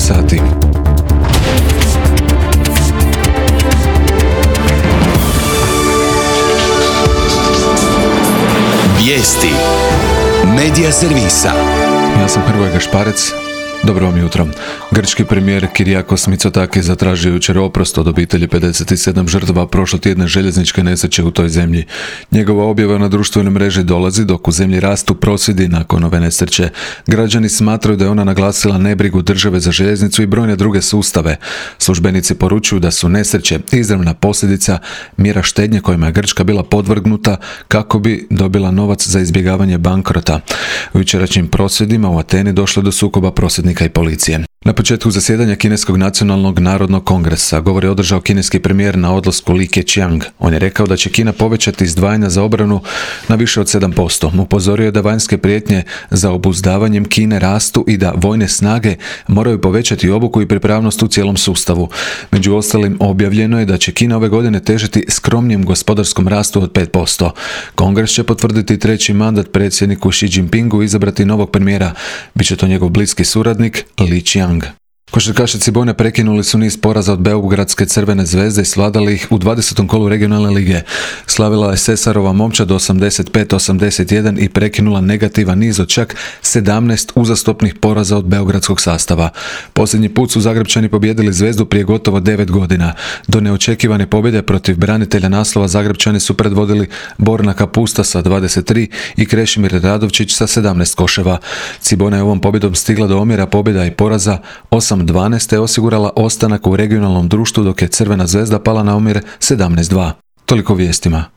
sati. Vijesti Medija servisa. Ja sam Hrvoje Gašparec. Dobro vam jutro. Grčki premijer Kyriakos Mitsotakis zatražio jučer oprost od obitelji 57 žrtava prošlotjedne željezničke nesreće u toj zemlji. Njegova objava na društvenoj mreži dolazi dok u zemlji rastu prosvjedi nakon ove nesreće. Građani smatraju da je ona naglasila nebrigu države za željeznicu i brojne druge sustave. Službenici poručuju da su nesreće izravna posljedica mjera štednje kojima je Grčka bila podvrgnuta kako bi dobila novac za izbjegavanje bankrota. U jučerašnjim prosvjedima u Ateni došlo do sukoba prosvjednika i policije. Na početku zasjedanja Kineskog nacionalnog narodnog kongresa govor je održao kineski premijer na odlasku Li Keqiang. On je rekao da će Kina povećati izdvajanja za obranu na više od 7%. Upozorio je da vanjske prijetnje za obuzdavanjem Kine rastu i da vojne snage moraju povećati obuku i pripravnost u cijelom sustavu. Među ostalim objavljeno je da će Kina ove godine težiti skromnijem gospodarskom rastu od 5%. Kongres će potvrditi treći mandat predsjedniku Xi Jinpingu i izabrati novog premijera. Biće to njegov bliski suradnik Li Qiang. Košarkaši Cibone prekinuli su niz poraza od Beogradske Crvene zvezde i svladali ih u 20. kolu regionalne lige. Slavila je Sesarova momčad 85-81 i prekinula negativan niz od čak 17 uzastopnih poraza od beogradskog sastava. Posljednji put su Zagrepčani pobijedili Zvezdu prije gotovo 9 godina. Do neočekivane pobjede protiv branitelja naslova Zagrepčani su predvodili Borna Kapusta sa 23 i Krešimir Radovčić sa 17 koševa. Cibona je ovom pobjedom stigla do omjera pobjeda i poraza 8-12 te osigurala ostanak u regionalnom društvu dok je Crvena zvezda pala na omjer 17-2. Toliko vijestima.